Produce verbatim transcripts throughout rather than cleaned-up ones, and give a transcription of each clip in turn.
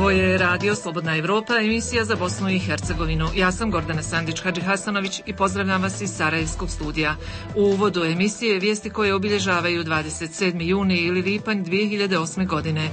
Ovo je Radio Slobodna Evropa, emisija za Bosnu i Hercegovinu. Ja sam Gordana Sandić-Hadži Hasanović i pozdravljam vas iz Sarajevskog studija. U uvodu emisije vijesti koje obilježavaju dvadeset sedmi juni ili lipanj dvije hiljade osme. godine.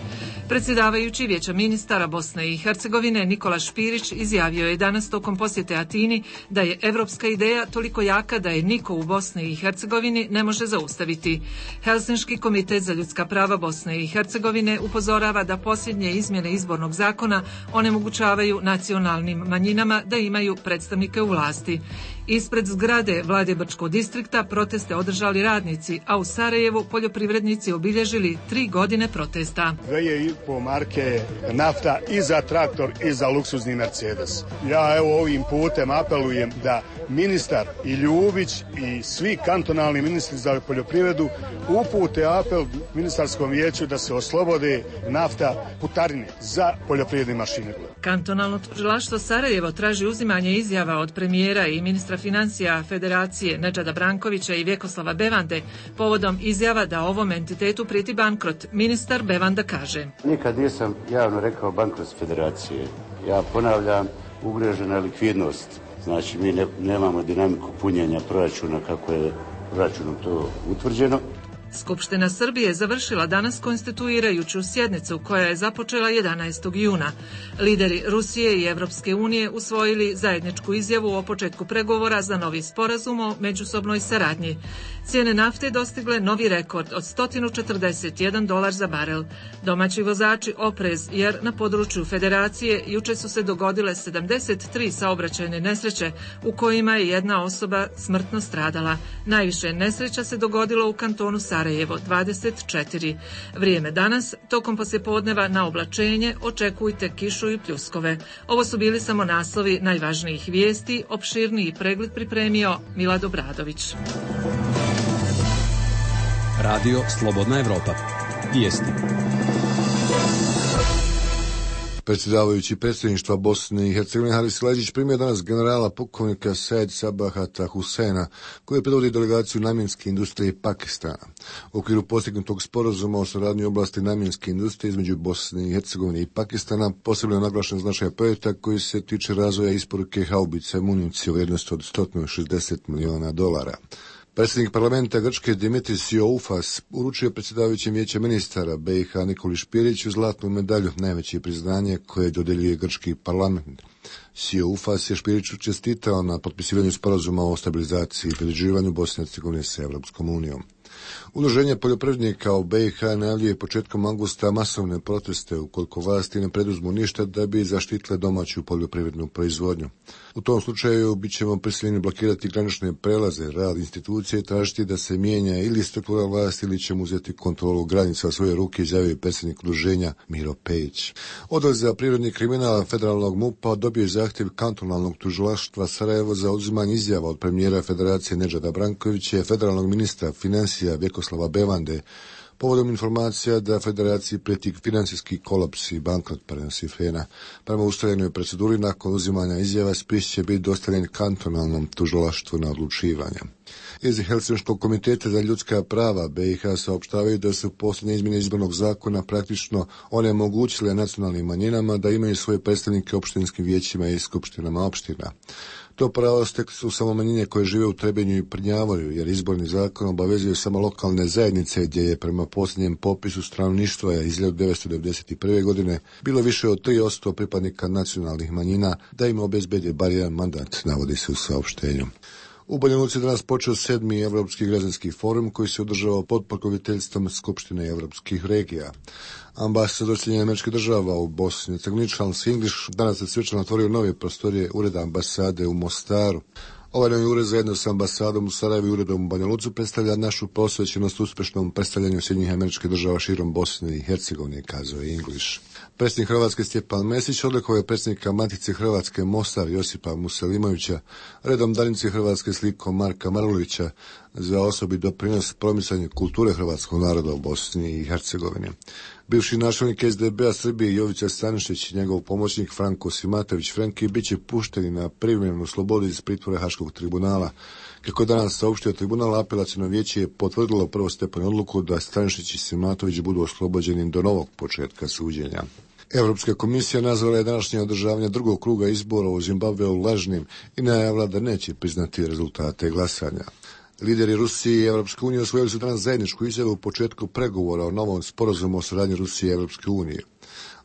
Predsjedavajući Vijeća ministara Bosne i Hercegovine Nikola Špirić izjavio je danas tokom posjete Atini da je evropska ideja toliko jaka da je niko u Bosni i Hercegovini ne može zaustaviti. Helsinški komitet za ljudska prava Bosne i Hercegovine upozorava da posljednje izmjene izbornog zakona onemogućavaju nacionalnim manjinama da imaju predstavnike u vlasti. Ispred zgrade vlade Brčkog distrikta proteste održali radnici, a u Sarajevu poljoprivrednici obilježili tri godine protesta. Dvije i po marke nafta i za traktor i za luksuzni Mercedes. Ja evo ovim putem apelujem da ministar i Ljubić i svi kantonalni ministri za poljoprivredu upute apel ministarskom vijeću da se oslobode nafta putarine za poljoprivredne mašine. Kantonalno tužilaštvo Sarajevo traži uzimanje izjava od premijera i ministra financija Federacije Nedžada Brankovića i Vjekoslava Bevande povodom izjava da ovom entitetu prijeti bankrot. Ministar Bevanda kaže: Nikad nisam javno rekao bankrot Federacije. Ja ponavljam, ugrožena je likvidnost. Znači mi ne, nemamo dinamiku punjenja proračuna kako je proračunom to utvrđeno. Skupština Srbije završila danas konstituirajuću sjednicu koja je započela jedanaestog juna. Lideri Rusije i Evropske unije usvojili zajedničku izjavu o početku pregovora za novi sporazum o međusobnoj saradnji. Cijene nafte dostigle novi rekord od sto četrdeset jedan dolar za barel. Domaći vozači oprez jer na području Federacije juče su se dogodile sedamdeset tri saobraćajne nesreće u kojima je jedna osoba smrtno stradala. Najviše nesreća se dogodilo u kantonu Sarajevo, dvadeset četiri. Vrijeme danas, tokom poslijepodneva na oblačenje, očekujte kišu i pljuskove. Ovo su bili samo naslovi najvažnijih vijesti, opširniji pregled pripremio Milad Obradović. Radio Slobodna Evropa. Vijesti. Predsjedavajući predsjedništva Bosne i Hercegovine Haris Leđić primio danas generala pukovnika Said Sabahata Husena, koji predvodi delegaciju namjenske industrije Pakistana. U okviru postignutog sporazuma o suradnji u oblasti namjenske industrije između Bosne i Hercegovine i Pakistana posebno je naglašen značaj projekta koji se tiče razvoja isporuke haubica i municije u vrijednosti od sto šezdeset miliona dolara. Predsjednik parlamenta Grčke Dimitris Sioufas uručio predsjedavajućem Vijeća ministara B i H Nikoli Špiriću zlatnu medalju, najveće priznanje koje dodjeljuje grčki parlament. Sioufas je Špiriću čestitao na potpisivanju sporazuma o stabilizaciji i pridruživanju Bosne i Hercegovine sa Europskom unijom. Udruženje poljoprivrednika u B i H najavljuje početkom avgusta masovne proteste ukoliko vlasti ne preduzmu ništa da bi zaštitile domaću poljoprivrednu proizvodnju. U tom slučaju bit ćemo prisiljeni blokirati granične prelaze, rad institucije i tražiti da se mijenja ili struktura vlasti ili ćemo uzeti kontrolu granica u svoje ruke, izjavio je predsjednik udruženja Miro Pejić. Odjel za privredni kriminal federalnog MUP-a dobio je zahtjev kantonalnog tužilaštva Sarajevo za uzimanje izjava od premijera Federacije Nedžada Brankovića i federalnog ministra financija Vjekoslava Bevande povodom informacija da Federaciji prijeti financijski kolaps i bankrot prenosi Fena. Prema ustaljenoj proceduri nakon uzimanja izjava spis će biti dostavljen kantonalnom tužilaštvu na odlučivanje. Iz Helsinškog komiteta za ljudska prava B i H saopštavaju da su posljednje izmjene izbornog zakona praktično onemogućile nacionalnim manjinama da imaju svoje predstavnike u opštinskim vijećima i skupštinama opština. To pravo stekli su samo manjine koje žive u Trebinju i Prnjavoru, jer izborni zakon obavezuje samo lokalne zajednice gdje je prema posljednjem popisu stanovništva iz hiljadu devetsto devedeset prve. godine bilo više od tri posto pripadnika nacionalnih manjina da im obezbede bar jedan mandat, navodi se u saopštenju. U Banja Luci danas počeo sedmi Evropski građanski forum koji se održava pod pokroviteljstvom Skupštine evropskih regija. Ambasador Sjedinjenih Američkih Država u Bosni i Hercegovini Charles English danas je svečano otvorio nove prostorije ureda ambasade u Mostaru. Ovaj novi ured zajedno sa ambasadom u Sarajevu i uredom u Banja Luci predstavlja našu posvećenost uspješnom predstavljanju Sjedinjenih Američkih Država širom Bosne i Hercegovine, kazao je English. Predsjednik Hrvatske Stjepan Mesić odlikovao je predsjednika Matice Hrvatske Mostar Josipa Muselimovića, redom dalnice Hrvatske slikom Marka Marulića za osobi doprinos promicanju kulture hrvatskog naroda u Bosni i Hercegovini. Bivši načelnik S D B-a Srbije Jovica Stanišić i njegov pomoćnik Franko Simatović Frenki bit će pušteni na privremenu slobodu iz pritvora Haškog tribunala. Kako je danas saopštio tribunal, apelaciono vijeće je potvrdilo prvostepenu odluku da Stanišić i Simatović budu oslobođeni do novog početka suđenja. Europska komisija nazvala je današnje održavanje drugog kruga izbora u Zimbabveu lažnim i najavila da neće priznati rezultate glasanja. Lideri Rusije i Evropske unije osvojili su danas zajedničku izjavu u početku pregovora o novom sporazumu o saradnji Rusije i Evropske unije.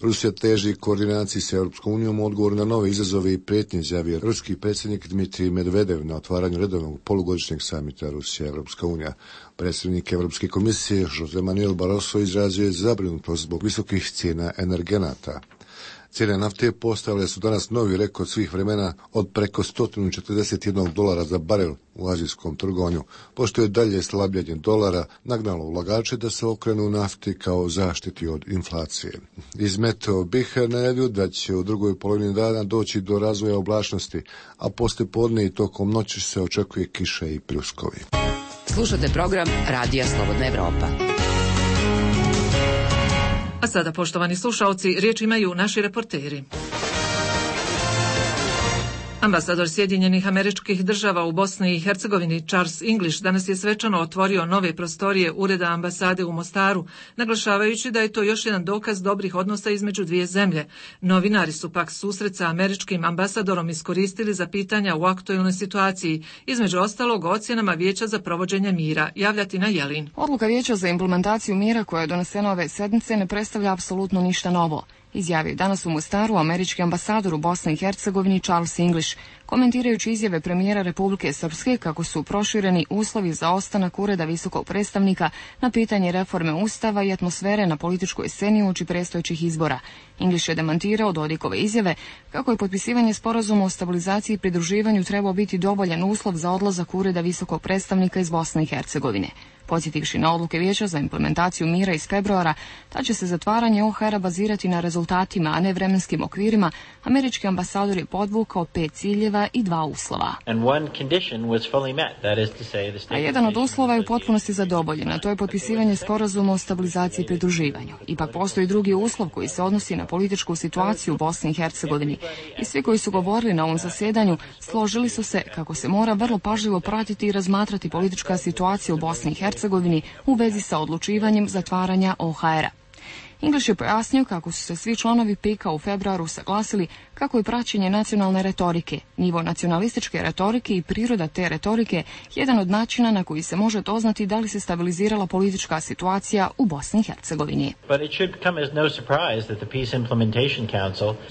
Rusija teži koordinaciji sa Europskom unijom u odgovoru na nove izazove i prijetnje, izjavio ruski predsjednik Dmitrij Medvedev na otvaranju redovnog polugodišnjeg samita Rusija i Europska unija. Predsjednik Europske komisije Jose Manuel Barroso izrazio je zabrinutost zbog visokih cijena energenata. Cijene nafte postavile su danas novi rekord svih vremena od preko sto četrdeset jedan dolara za barel u azijskom trgovanju, pošto je dalje slabljenje dolara nagnalo ulagače da se okrenu nafti kao zaštiti od inflacije. Izmetao bih najavio da će u drugoj polovini dana doći do razvoja oblačnosti, a poslije podne i tokom noći se očekuje kiša i pljuskovi. Slušate program Radija Slobodna Evropa. A sada, poštovani slušaoci, riječ imaju naši reporteri. Ambasador Sjedinjenih Američkih Država u Bosni i Hercegovini Charles English danas je svečano otvorio nove prostorije Ureda ambasade u Mostaru, naglašavajući da je to još jedan dokaz dobrih odnosa između dvije zemlje. Novinari su pak susret sa američkim ambasadorom iskoristili za pitanja u aktuelnoj situaciji, između ostalog o ocjenama Vijeća za provođenje mira. Javljati na Jelin. Odluka Vijeća za implementaciju mira koja je donesena ove sedmice ne predstavlja apsolutno ništa novo, izjavio danas u Mostaru američki ambasador u Bosni i Hercegovini Charles English, komentirajući izjave premijera Republike Srpske kako su prošireni uslovi za ostanak Ureda visokog predstavnika na pitanje reforme Ustava i atmosfere na političkoj sceni uoči predstojećih izbora. English je demantirao Dodikove izjave kako je potpisivanje sporazuma o stabilizaciji i pridruživanju trebao biti dovoljan uslov za odlazak Ureda visokog predstavnika iz Bosne i Hercegovine. Podsjetivši na odluke Vijeća za implementaciju mira iz februara, da će se zatvaranje O H R-a bazirati na rezultatima, a ne vremenskim okvirima, američki ambasador je podvukao pet ciljeva i dva uslova. A jedan od uslova je u potpunosti zadovoljen, a to je potpisivanje sporazuma o stabilizaciji i pridruživanju. Ipak postoji drugi uslov koji se odnosi na političku situaciju u Bosni i Hercegovini. I svi koji su govorili na ovom zasjedanju složili su se kako se mora vrlo pažljivo pratiti i razmatrati politička situacija u Bosni i Hercegovini u vezi sa odlučivanjem zatvaranja O H R-a. English je pojasnio kako su se svi članovi P I K-a u februaru saglasili kako je praćenje nacionalne retorike, nivo nacionalističke retorike i priroda te retorike jedan od načina na koji se može doznati da li se stabilizirala politička situacija u Bosni i Hercegovini.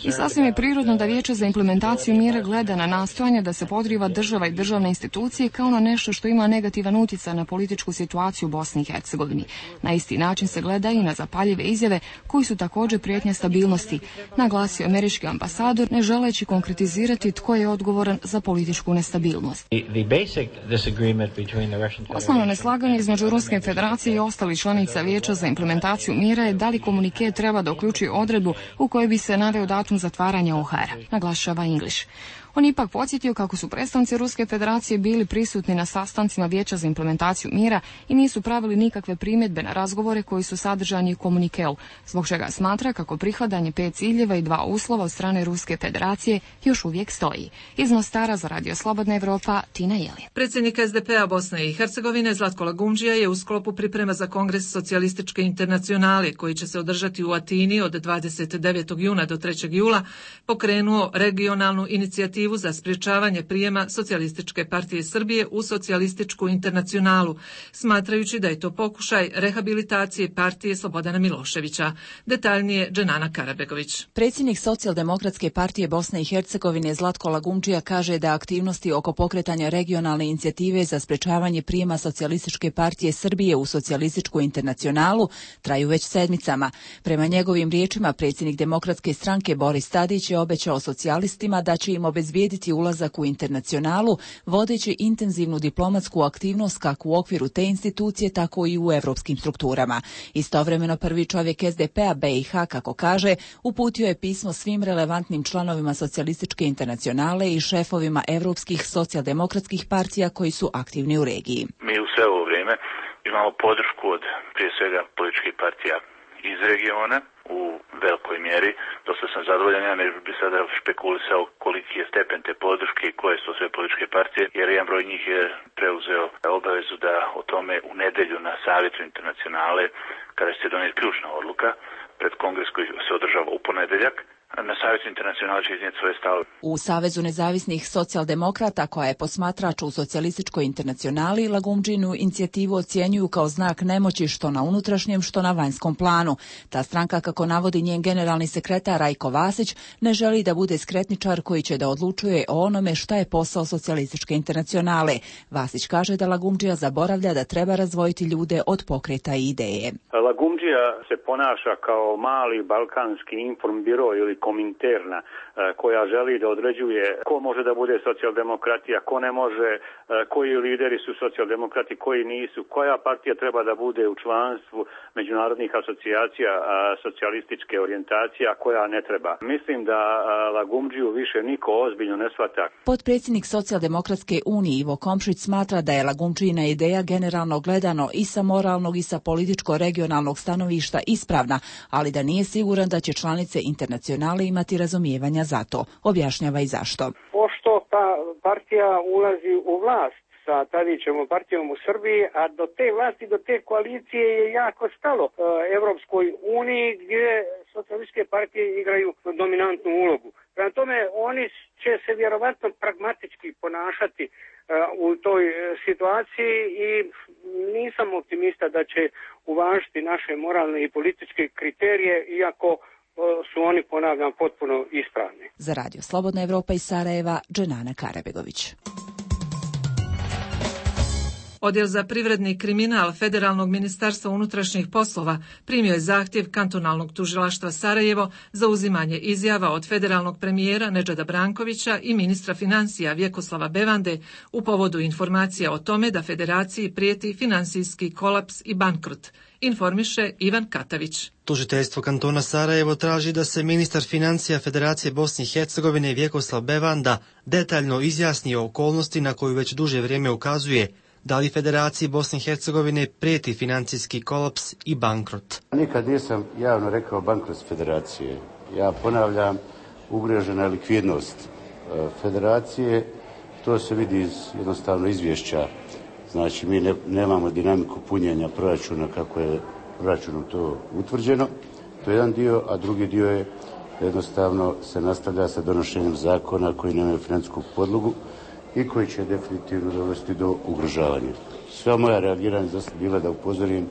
I sasvim je prirodno da Vijeće za implementaciju mira gleda na nastojanje da se podriva država i državne institucije kao na nešto što ima negativan utjecaj na političku situaciju u Bosni i Hercegovini. Na isti način se gleda i na zapaljive izjave koji su također prijetnja stabilnosti, naglasio američki ambasador, ne želeći konkretizirati tko je odgovoran za političku nestabilnost. Osnovno neslaganje između Ruske federacije i ostalih članica Vijeća za implementaciju mira je da li komunike treba da uključi odredbu u kojoj bi se naveo datum zatvaranja O H R-a, naglašava English. On ipak podsjetio kako su predstavnici Ruske federacije bili prisutni na sastancima Vijeća za implementaciju mira i nisu pravili nikakve primjedbe na razgovore koji su sadržani u komunikeu, zbog čega smatra kako prihvatanje pet ciljeva i dva uslova od strane Ruske federacije još uvijek stoji. Iz Mostara za Radio Slobodna Evropa, Tina Jelin. Predsjednik S D P-a Bosne i Hercegovine Zlatko Lagumdžija je u sklopu priprema za Kongres socijalističke internacionale koji će se održati u Atini od dvadeset devetog juna do trećeg jula pokrenuo regionalnu inicijativu za sprječavanje prijema Socijalističke partije Srbije u Socijalističku internacionalu, smatrajući da je to pokušaj rehabilitacije partije Slobodana Miloševića. Detaljnije Dženana Karabegović. Predsjednik Socijaldemokratske partije Bosne i Hercegovine Zlatko Lagumdžija kaže da aktivnosti oko pokretanja regionalne inicijative za sprječavanje prijema Socijalističke partije Srbije u Socijalističku internacionalu traju već sedmicama. Prema njegovim riječima, predsjednik Demokratske stranke Boris Tadić je obećao socijalistima da će im obezbijediti ulazak u internacionalu, vodeći intenzivnu diplomatsku aktivnost kako u okviru te institucije, tako i u evropskim strukturama. Istovremeno prvi čovjek S D P-a B i H, kako kaže, uputio je pismo svim relevantnim članovima Socijalističke internacionale i šefovima evropskih socijaldemokratskih partija koji su aktivni u regiji. Mi u sve ovo vrijeme imamo podršku od prije svega političkih partija iz regiona u velikoj mjeri. Dosta sam zadovoljan, ja ne bih sada špekulisao koliki je stepen te podrške i koje su sve političke partije, jer jedan broj njih je preuzeo obavezu da o tome u nedjelju na Savjetu internacionale, kada će se donijeti ključna odluka, pred kongres koji se održava u ponedeljak. Na Savjezu Internacionale će iznijeti svoje stavove. U Savezu nezavisnih socijaldemokrata, koja je posmatrač u socijalističkoj internacionali, Lagumdžinu inicijativu ocjenjuju kao znak nemoći što na unutrašnjem, što na vanjskom planu. Ta stranka, kako navodi njen generalni sekretar Rajko Vasić, ne želi da bude skretničar koji će da odlučuje o onome šta je posao socijalističke internacionale. Vasić kaže da Lagumdžija zaboravlja da treba razdvojiti ljude od pokreta i ideje. Lagumdžija se ponaša kao mali balkanski informbiro ili kominterna koja želi da određuje ko može da bude socijaldemokratija, ko ne može, koji lideri su socijaldemokrati, koji nisu, koja partija treba da bude u članstvu međunarodnih asocijacija socijalističke orijentacije, a koja ne treba. Mislim da Lagumdžiju više niko ozbiljno ne shvata. Potpredsjednik Socijaldemokratske unije Ivo Komšić smatra da je Lagumdžijina ideja generalno gledano i sa moralnog i sa političko-regionalnog stanovišta ispravna, ali da nije siguran da će članice internacionale imati razumijevanja za to. Objašnjava i zašto. Pošto ta partija ulazi u vlast sa Tadićevom partijom u Srbiji, a do te vlasti, do te koalicije je jako stalo e, Evropskoj uniji gdje socijalističke partije igraju dominantnu ulogu. Prema tome, oni će se vjerovatno pragmatički ponašati e, u toj situaciji i nisam optimista da će uvažiti naše moralne i političke kriterije, iako su oni, ponavljam, potpuno ispravni. Za Radio Slobodna Evropa iz Sarajeva, Dženana Karabegović. Odjel za privredni kriminal Federalnog ministarstva unutrašnjih poslova primio je zahtjev kantonalnog tužilaštva Sarajevo za uzimanje izjava od federalnog premijera Nedžada Brankovića i ministra financija Vjekoslava Bevande u povodu informacija o tome da federaciji prijeti finansijski kolaps i bankrot, informiše Ivan Katavić. Tužiteljstvo kantona Sarajevo traži da se ministar financija Federacije Bosne i Hercegovine Vjekoslav Bevanda detaljno izjasni o okolnosti na koju već duže vrijeme ukazuje da li Federaciji Bosne i Hercegovine prijeti financijski kolaps i bankrot. Nikad nisam javno rekao bankrot Federacije. Ja ponavljam, ugrožena likvidnost Federacije, to se vidi iz jednostavno izvješća. Znači, mi ne, nemamo dinamiku punjenja proračuna kako je proračunom to utvrđeno. To je jedan dio, a drugi dio je jednostavno se nastavlja sa donošenjem zakona koji nemaju financijsku podlogu i koji će definitivno dovesti do ugrožavanja. Sva moja reagiranja bila da upozorim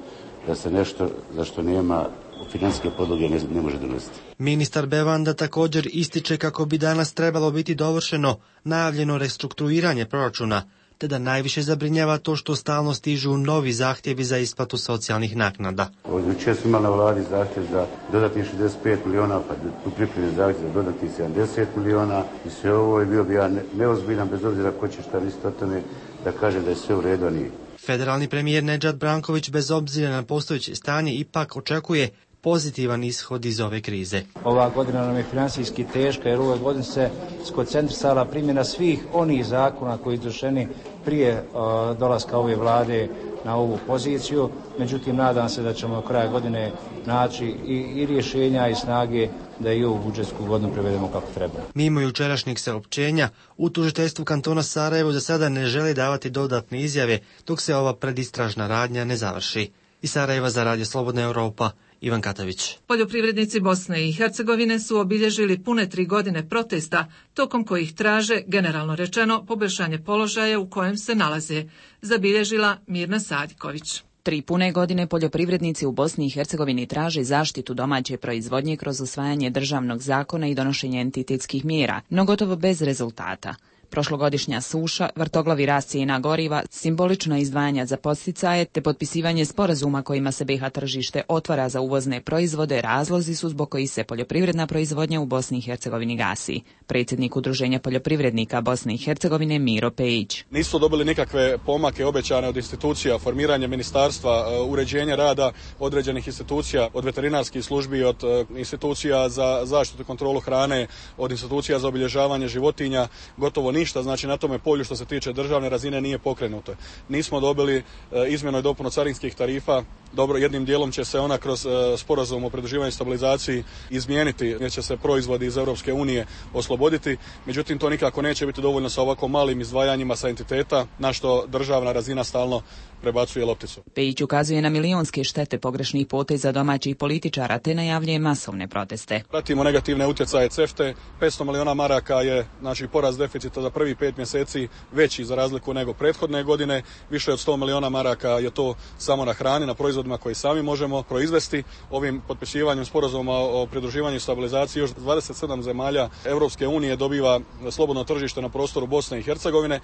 da se nešto za što nema financijske podloge ne, ne može donositi. Ministar Bevanda također ističe kako bi danas trebalo biti dovršeno najavljeno restrukturiranje proračuna, te da najviše zabrinjava to što stalno stižu novi zahtjevi za isplatu socijalnih naknada. Jučer smo imali na vladi zahtjev za dodatnih šezdeset pet miliona, pa tu pripremljen zahtjev za dodatnih sedamdeset miliona i sve ovo je bio bi ja neozbiljan, bez obzira ko će šta misliti o tome, da kaže da je sve u redu, a nije. Federalni premijer Nedžad Branković bez obzira na postojeće stanje ipak očekuje pozitivan ishod iz ove krize. Ova godina nam je financijski teška jer u ovoj godini se skoncentrisala primjena svih onih zakona koji su izvršeni prije uh, dolaska ove vlade na ovu poziciju. Međutim, nadam se da ćemo do kraja godine naći i, i rješenja i snage da i ovu budžetsku godinu prevedemo kako treba. Mimo jučerašnjeg saopćenja, u tužiteljstvu kantona Sarajevo za sada ne želi davati dodatne izjave dok se ova predistražna radnja ne završi. Iz Sarajeva za Radio Slobodna Evropa, Ivan Katavić. Poljoprivrednici Bosne i Hercegovine su obilježili pune tri godine protesta, tokom kojih traže, generalno rečeno, poboljšanje položaja u kojem se nalaze, zabilježila Mirna Sadiković. Tri pune godine poljoprivrednici u Bosni i Hercegovini traže zaštitu domaće proizvodnje kroz usvajanje državnog zakona i donošenje entitetskih mjera, no gotovo bez rezultata. Prošlogodišnja suša, vrtoglavi rast cijena goriva, simbolična izdvajanja za podsticaje te potpisivanje sporazuma kojima se B iH tržište otvara za uvozne proizvode razlozi su zbog kojih se poljoprivredna proizvodnja u Bosni i Hercegovini gasi. Predsjednik Udruženja poljoprivrednika Bosne i Hercegovine Miro Pejić. Nisu dobili nikakve pomake obećane od institucija, formiranje ministarstva, uređenje rada određenih institucija, od veterinarskih službi, od institucija za zaštitu i kontrolu hrane, od institucija za obilježavanje životinja, gotovo ništa, znači na tome polju što se tiče državne razine nije pokrenuto. Nismo dobili e, izmjenu i dopunu carinskih tarifa Dobro, jednim dijelom će se ona kroz sporazum o pridruživanju i stabilizaciji izmijeniti, jer će se proizvodi iz Europske unije osloboditi. Međutim, to nikako neće biti dovoljno sa ovako malim izdvajanjima sa entiteta, na što državna razina stalno prebacuje lopticu. Pejić ukazuje na milionske štete pogrešnih poteza domaćih političara te najavljuje masovne proteste. Pratimo negativne utjecaje CEFTA, petsto miliona maraka je znači porast deficita za prvih pet mjeseci veći za razliku nego prethodne godine, više od sto miliona maraka je to samo na hrani, na proizvodima koji sami možemo proizvesti. Ovim potpisivanjem sporazuma o pridruživanju i stabilizaciji još dvadeset sedam zemalja Europske unije dobiva slobodno tržište na prostoru Bosne i Hercegovine.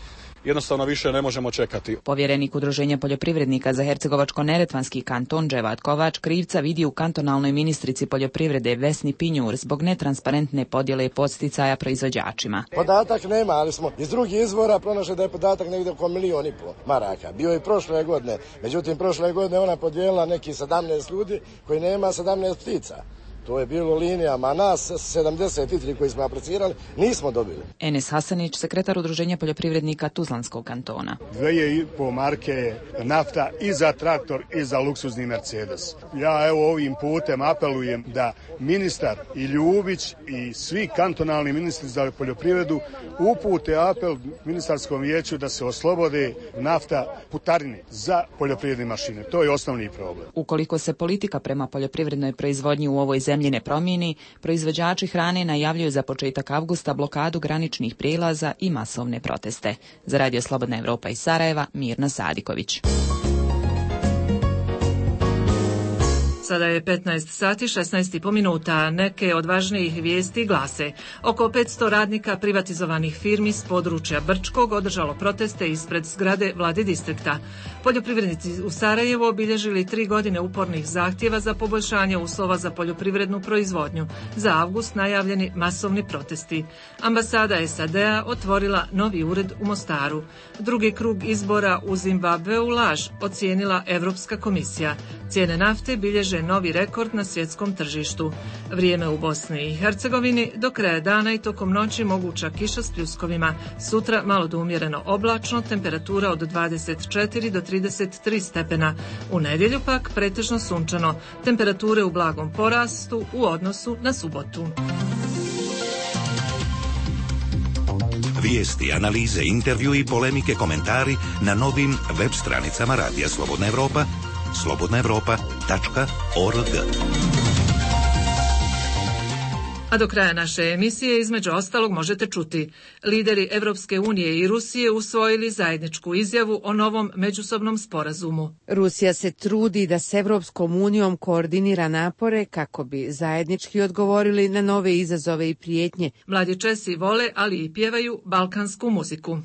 Jednostavno više ne možemo čekati. Povjerenik Udruženja poljoprivrednika za Hercegovačko-neretvanski kanton Dževat Kovač krivca vidi u kantonalnoj ministrici poljoprivrede Vesni Pinjur zbog netransparentne podjele podsticaja proizvođačima. Podatak nema, ali smo iz drugih izvora pronašli da je podatak negdje oko milijon i pol maraka. Bio i prošle godine, međutim prošle godine ona podijelila neki sedamnaest ljudi koji nema sedamnaest ptica. To je bilo linijama, a nas sedamdeset tri koji smo aplicirali nismo dobili. Enes Hasanić, sekretar Udruženja poljoprivrednika Tuzlanskog kantona. Dvije i po marke nafta i za traktor i za luksuzni Mercedes. Ja evo ovim putem apelujem da ministar i Ljubić i svi kantonalni ministri za poljoprivredu upute apel ministarskom vijeću da se oslobode nafta putarini za poljoprivredne mašine. To je osnovni problem. Ukoliko se politika prema poljoprivrednoj proizvodnji u ovoj zemlji ne promijeni, proizvođači hrane najavljuju za početak avgusta blokadu graničnih prijelaza i masovne proteste. Za Radio Slobodna Evropa iz Sarajeva, Mirna Sadiković. Sada je petnaest sati šesnaest i po minuta. Neke od važnijih vijesti glase: oko petsto radnika privatizovanih firmi s područja Brčkog održalo proteste ispred zgrade vlade distrikta. Poljoprivrednici u Sarajevu obilježili tri godine upornih zahtjeva za poboljšanje uslova za poljoprivrednu proizvodnju. Za avgust najavljeni masovni protesti. Ambasada S A D-a otvorila novi ured u Mostaru. Drugi krug izbora u Zimbabveu laž ocijenila Europska komisija. Cijene nafte bilježe novi rekord na svjetskom tržištu. Vrijeme u Bosni i Hercegovini: do kraja dana i tokom noći moguća kiša s pljuskovima. Sutra malo do umjereno oblačno, temperatura od dvadeset četiri do trideset tri stepena. U nedjelju pak pretežno sunčano, temperature u blagom porastu u odnosu na subotu. Vijesti, analize, intervju i polemike, komentari na novim web stranicama Radija Slobodna Evropa, slobodna evropa tačka org. A do kraja naše emisije između ostalog možete čuti: lideri Evropske unije i Rusije usvojili zajedničku izjavu o novom međusobnom sporazumu. Rusija se trudi da s Evropskom unijom koordinira napore kako bi zajednički odgovorili na nove izazove i prijetnje. Mladi Česi vole, ali i pjevaju balkansku muziku.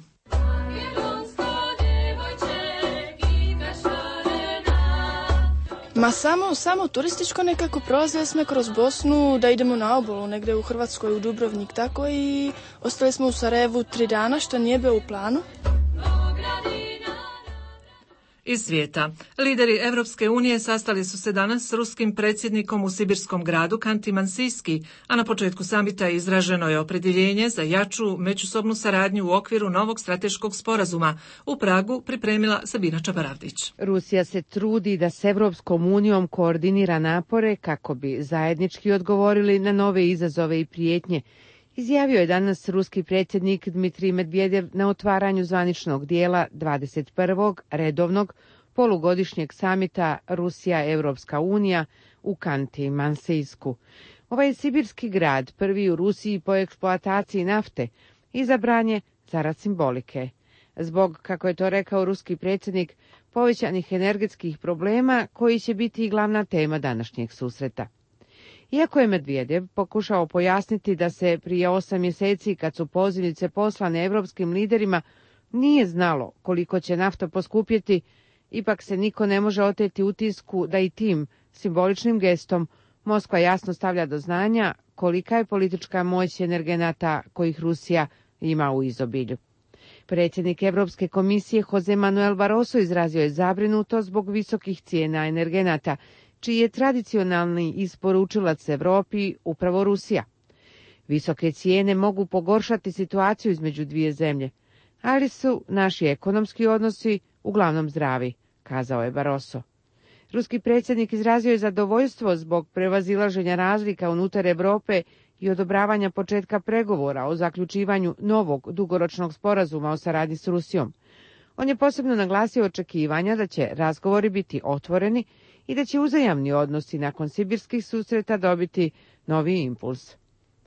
Ma samo, samo turističko nekako, prolazili smo kroz Bosnu da idemo na obalu, negdje u Hrvatskoj, u Dubrovnik, tako, i ostali smo u Sarajevu tri dana, što nije bilo u planu. Iz svijeta. Lideri Evropske unije sastali su se danas s ruskim predsjednikom u sibirskom gradu Kanti-Mansijski, a na početku samita izraženo je opredjeljenje za jaču međusobnu saradnju u okviru novog strateškog sporazuma. U Pragu pripremila Sabina Čabaravdić. Rusija se trudi da s Evropskom unijom koordinira napore kako bi zajednički odgovorili na nove izazove i prijetnje, izjavio je danas ruski predsjednik Dmitrij Medvedev na otvaranju zvaničnog dijela dvadeset prvog redovnog polugodišnjeg samita Rusija-Evropska unija u Kanti-Mansijsku. Ovaj sibirski grad, prvi u Rusiji po eksploataciji nafte, izabran je zarad simbolike. Zbog, kako je to rekao ruski predsjednik, povećanih energetskih problema koji će biti i glavna tema današnjeg susreta. Iako je Medvedev pokušao pojasniti da se prije osam mjeseci, kad su pozivnice poslane evropskim liderima, nije znalo koliko će nafta poskupjeti, ipak se niko ne može oteti utisku da i tim simboličnim gestom Moskva jasno stavlja do znanja kolika je politička moć energenata kojih Rusija ima u izobilju. Predsjednik Europske komisije Jose Manuel Barroso izrazio je zabrinutost zbog visokih cijena energenata, čiji je tradicionalni isporučilac Europi upravo Rusija. Visoke cijene mogu pogoršati situaciju između dvije zemlje, ali su naši ekonomski odnosi uglavnom zdravi, kazao je Barroso. Ruski predsjednik izrazio je zadovoljstvo zbog prevazilaženja razlika unutar Europe i odobravanja početka pregovora o zaključivanju novog dugoročnog sporazuma o saradnji s Rusijom. On je posebno naglasio očekivanja da će razgovori biti otvoreni i da će uzajamni odnosi nakon sibirskih susreta dobiti novi impuls.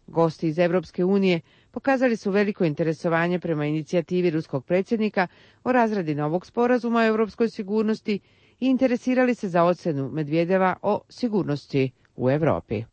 Gosti iz Evropske unije pokazali su veliko interesovanje prema inicijativi ruskog predsjednika o razradi novog sporazuma o europskoj sigurnosti i interesirali se za ocenu Medvedeva o sigurnosti u Europi.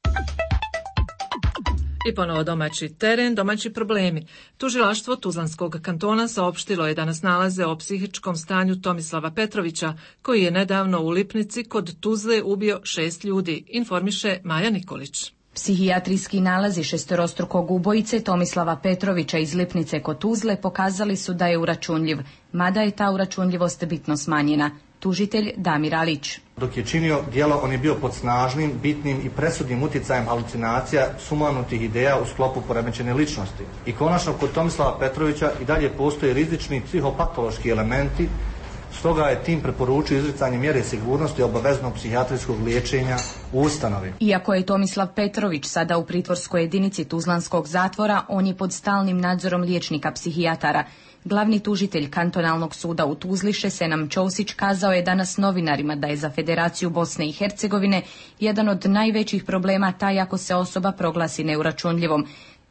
I ponovo domaći teren, domaći problemi. Tužilaštvo Tuzlanskog kantona saopštilo je da nas nalaze o psihičkom stanju Tomislava Petrovića, koji je nedavno u Lipnici kod Tuzle ubio šest ljudi, informiše Maja Nikolić. Psihijatrijski nalazi šestorostrukog ubojice Tomislava Petrovića iz Lipnice kod Tuzle pokazali su da je uračunljiv, mada je ta uračunljivost bitno smanjena. Tužitelj Damir Alić. Dok je činio djelo, on je bio pod snažnim, bitnim i presudnim utjecajem halucinacija, sumanutih ideja u sklopu poremećene ličnosti. I konačno, kod Tomislava Petrovića i dalje postoje rizični psihopatološki elementi, stoga je tim preporučio izricanje mjere sigurnosti obaveznog psihijatrijskog liječenja u ustanovi. Iako je Tomislav Petrović sada u pritvorskoj jedinici Tuzlanskog zatvora, on je pod stalnim nadzorom liječnika psihijatara. Glavni tužitelj kantonalnog suda u Tuzli Šesenam Ćosić kazao je danas novinarima da je za Federaciju Bosne i Hercegovine jedan od najvećih problema taj ako se osoba proglasi neuračunljivom.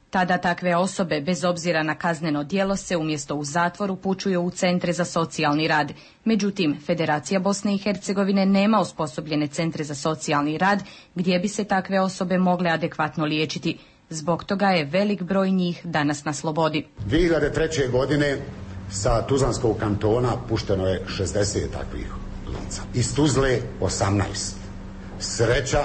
Tada takve osobe, bez obzira na kazneno djelo, se umjesto u zatvor upućuju u centre za socijalni rad. Međutim, Federacija Bosne i Hercegovine nema osposobljene centre za socijalni rad gdje bi se takve osobe mogle adekvatno liječiti. Zbog toga je velik broj njih danas na slobodi. dvije hiljade treće. godine sa Tuzlanskog kantona pušteno je šezdeset takvih lica. Iz Tuzle osamnaest. Sreća,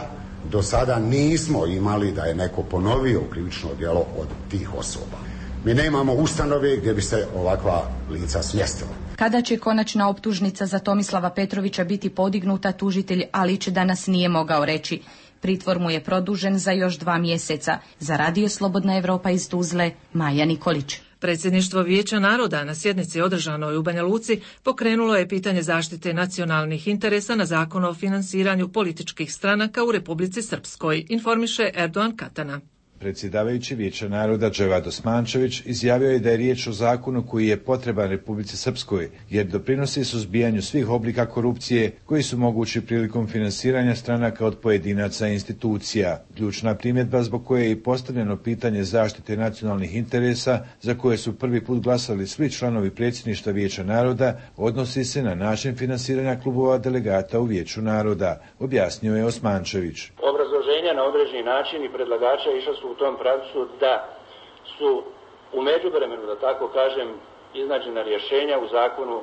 do sada nismo imali da je neko ponovio krivično djelo od tih osoba. Mi nemamo ustanove gdje bi se ovakva lica smjestila. Kada će konačna optužnica za Tomislava Petrovića biti podignuta, tužitelj Alić danas nije mogao reći. Pritvor mu je produžen za još dva mjeseca. Za Radio Slobodna Evropa iz Tuzle, Maja Nikolić. Predsjedništvo Vijeća naroda na sjednici održanoj u Banja Luci pokrenulo je pitanje zaštite nacionalnih interesa na Zakon o finansiranju političkih stranaka u Republici Srpskoj, informiše Erdogan Katana. Predsjedavajući Vijeća naroda Dževad Osmančević izjavio je da je riječ o zakonu koji je potreban Republici Srpskoj, jer doprinosi suzbijanju svih oblika korupcije koji su mogući prilikom finansiranja stranaka od pojedinaca i institucija. Ključna primjedba zbog koje je i postavljeno pitanje zaštite nacionalnih interesa, za koje su prvi put glasali svi članovi predsjedništva Vijeća naroda, odnosi se na način finansiranja klubova delegata u Vijeću naroda, objasnio je Osmančević. Obrazloženja na određeni način i predlagača išla su u tom pravcu da su u međuvremenu, da tako kažem, iznađena rješenja u zakonu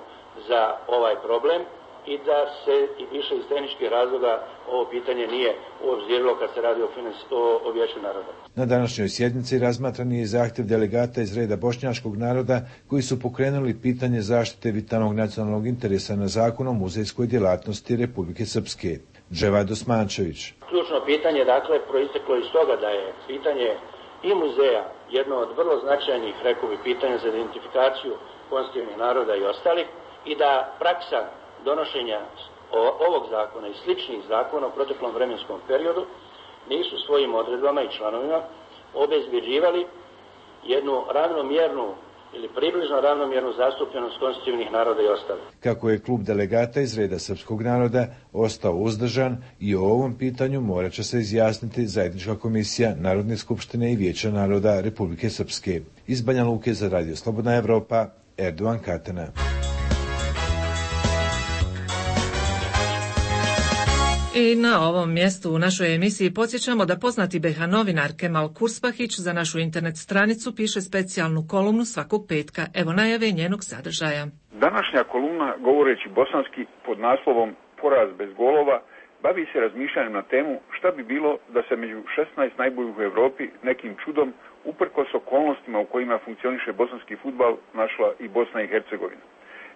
za ovaj problem i da se i više iz tehničkih razloga ovo pitanje nije uobzirilo kad se radi o, o, o Vijeću naroda. Na današnjoj sjednici razmatran je zahtjev delegata iz reda bošnjačkog naroda koji su pokrenuli pitanje zaštite vitalnog nacionalnog interesa na Zakon o muzejskoj djelatnosti Republike Srpske. Dževad Osmančević. Ključno pitanje, dakle, proisteklo iz toga da je pitanje i muzeja jedno od vrlo značajnih, rekao bi, pitanja za identifikaciju konstitutivnih naroda i ostalih i da praksa donošenja ovog zakona i sličnih zakona u proteklom vremenskom periodu nisu svojim odredbama i članovima obezbjeđivali jednu ravnomjernu ili približno ravnomjernu zastupljenost konstitutivnih naroda i ostalih. Kako je klub delegata iz reda srpskog naroda ostao uzdržan i o ovom pitanju morat će se izjasniti zajednička komisija Narodne skupštine i Vijeća naroda Republike Srpske. Iz Banja Luke za Radio Slobodna Evropa, Erdogan Katana. I na ovom mjestu u našoj emisiji podsjećamo da poznati be ha novinar Kemal Kurspahić za našu internet stranicu piše specijalnu kolumnu svakog petka. Evo najave njenog sadržaja. Današnja kolumna, govoreći bosanski pod naslovom Poraz bez golova, bavi se razmišljanjem na temu šta bi bilo da se među šesnaest najboljih u Europi nekim čudom, uprkos okolnostima u kojima funkcioniše bosanski fudbal, našla i Bosna i Hercegovina.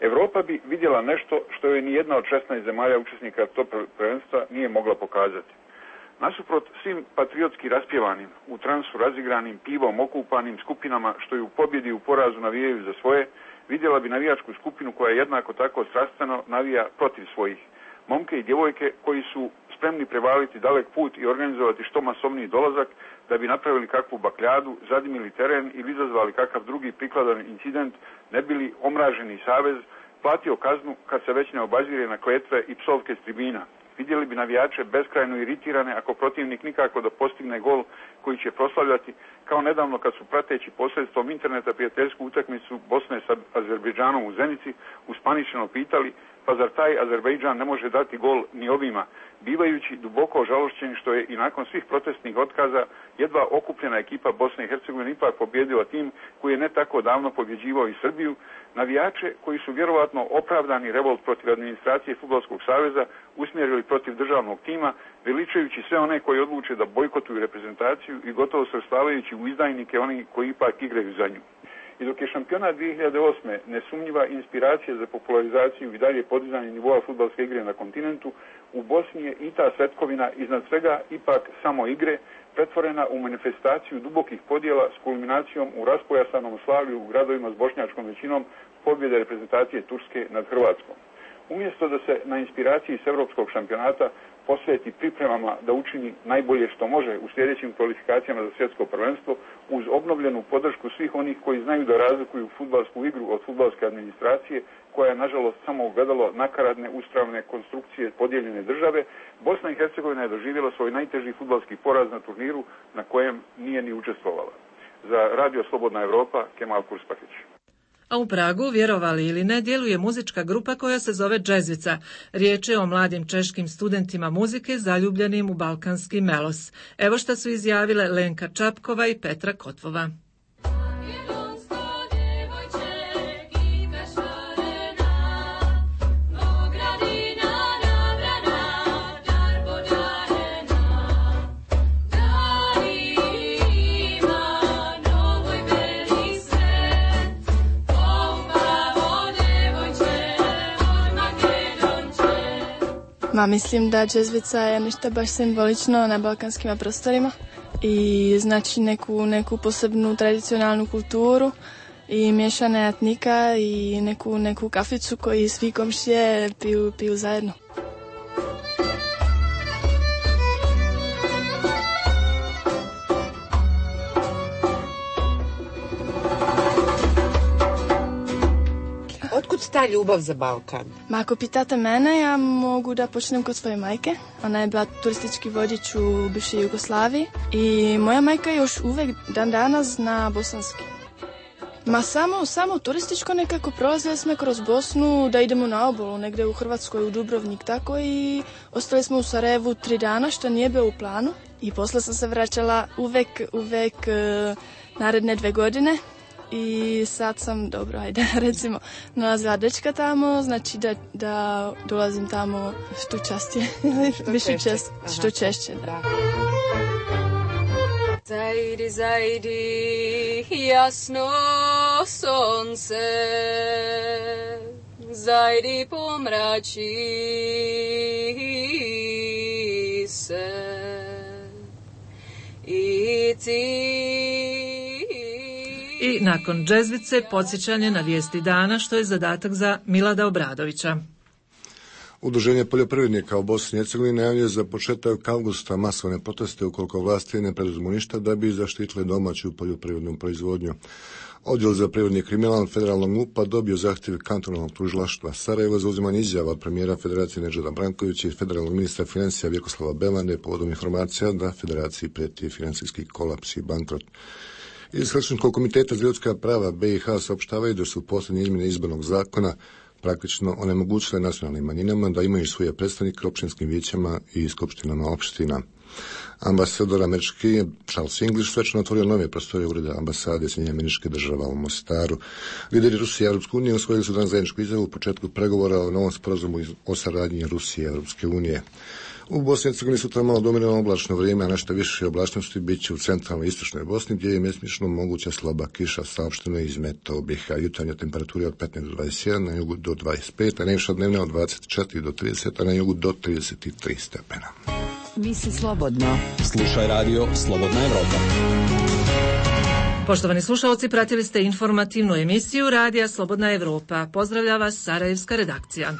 Europa bi vidjela nešto što joj ni jedna od šesnaest zemalja učesnika tog prvenstva nije mogla pokazati. Nasuprot svim patriotski raspjevanim, u transu razigranim, pivom okupanim skupinama što ju u pobjedi u porazu navijaju za svoje, vidjela bi navijačku skupinu koja jednako tako strastveno navija protiv svojih. momke i djevojke koji su spremni prevaliti dalek put i organizovati što masovniji dolazak da bi napravili kakvu bakljadu, zadimili teren ili izazvali kakav drugi prikladan incident, ne bili omraženi savez platio kaznu kad se već ne obazire na kletve i psovke s tribina. Vidjeli bi navijače beskrajno iritirane ako protivnik nikako da postigne gol koji će proslavljati, kao nedavno kad su prateći posredstvom interneta prijateljsku utakmicu Bosne sa Azerbejdžanom u Zenici uspaničeno pitali pa zar taj Azerbejdžan ne može dati gol ni ovima, bivajući duboko žalošćeni što je i nakon svih protestnih otkaza jedva okupljena ekipa Bosne i Hercegovine ipak pobjedila tim koji je ne tako davno pobjeđivao i Srbiju, navijače koji su vjerovatno opravdani revolt protiv administracije Fudbalskog saveza usmjerili protiv državnog tima, veličajući sve one koji odluče da bojkotuju reprezentaciju i gotovo svrstavajući u izdajnike oni koji ipak igraju za nju. I dok je šampionat dvije hiljade osme nesumnjiva inspiracija za popularizaciju i dalje podizanje nivoa fudbalske igre na kontinentu, u Bosni je i ta svetkovina iznad svega ipak samo igre pretvorena u manifestaciju dubokih podjela s kulminacijom u raspojasanom slavlju u gradovima s bošnjačkom većinom pobjede reprezentacije Turske nad Hrvatskom. Umjesto da se na inspiraciji s europskog šampionata posveti pripremama da učini najbolje što može u sljedećim kvalifikacijama za svjetsko prvenstvo uz obnovljenu podršku svih onih koji znaju da razlikuju fudbalsku igru od fudbalske administracije koja je nažalost samo ogledalo nakaradne uspravne konstrukcije podijeljene države, Bosna i Hercegovina je doživjela svoj najteži fudbalski poraz na turniru na kojem nije ni učestvovala. Za Radio Slobodna Evropa, Kemal Kurspahić. A u Pragu, vjerovali ili ne, djeluje muzička grupa koja se zove Džezvica. Riječ je o mladim češkim studentima muzike zaljubljenim u balkanski melos. Evo šta su izjavile Lenka Čapkova i Petra Kotvova. Ma mislim da Džezvica je nešto baš simbolično na balkanskim prostorima i znači neku, neku posebnu tradicionalnu kulturu i miješane etnika i neku, neku kaficu koji svi komšije piju, piju zajedno. Otkud ta ljubav za Balkan? Ma ako pitate mene, ja mogu da počnem kod svoje majke. Ona je bila turistički vodič u bivšoj Jugoslaviji i moja majka još uvek dan danas zna bosanski. Ma samo, samo turističko nekako prolazili smo kroz Bosnu da idemo na obalu, negde u Hrvatskoj, u Dubrovnik, tako i ostali smo u Sarajevu tri dana, što nije bilo u planu. I posle sam se vraćala uvek, uvek uh, naredne dve godine. I sad sam, dobro, ajde, recimo, nalazila dečka tamo, znači da, da dolazim tamo što častije, više čest, što češće, da. Zajdi, zajdi, jasno sonce, zajdi pomrači se i ti. I nakon Džezvice podsjećanje na vijesti dana, što je zadatak za Milada Obradovića. Udruženje poljoprivrednika u Bosni i Hercegovini najavljuje za početak avgusta masovne proteste ukoliko vlasti ne preduzmu ništa da bi zaštitile domaću poljoprivrednu proizvodnju. Odjel za privredni kriminal federalnog M U P-a dobio zahtjev kantonalnog tužilaštva Sarajevo za uzimanje izjava od premijera Federacije Nedžada Brankovića i federalnog ministra financija Vjekoslava Bevande povodom informacija da Federaciji prijeti financijski kolaps i bankrot. Iz Helsinškog komiteta za ljudska prava B i H saopštavaju da su posljednje izmjene izbornog zakona praktično onemogućile nacionalnim manjinama da imaju svoje predstavnike u općinskim vijećama i skupštinama opština. Ambasador američki Charles English svečano otvorio nove prostorije ureda ambasade Sjedinjenih Američkih Država u Mostaru. Lideri Rusije i Europske unije usvojili su danas zajedničku izjavu u početku pregovora o novom sporazumu o saradnji Rusije i Europske unije. U Bosni i Hercegovini sutra malo dominirano oblačno vrijeme, a nešto više oblačnosti bit će u centralnoj i istočnoj Bosni, gdje je mjesечно moguća slaba kiša, saopšteno iz Metobih, a jutarnja temperatura od petnaest do dvadeset jedan, na jugu do dvadeset pet, a najviša dnevna od dvadeset četiri do trideset, a na jugu do trideset tri stepena. Misli slobodno. Slušaj radio Slobodna Evropa. Poštovani slušalci, pratili ste informativnu emisiju Radija Slobodna Evropa. Pozdravlja vas Sarajevska redakcija.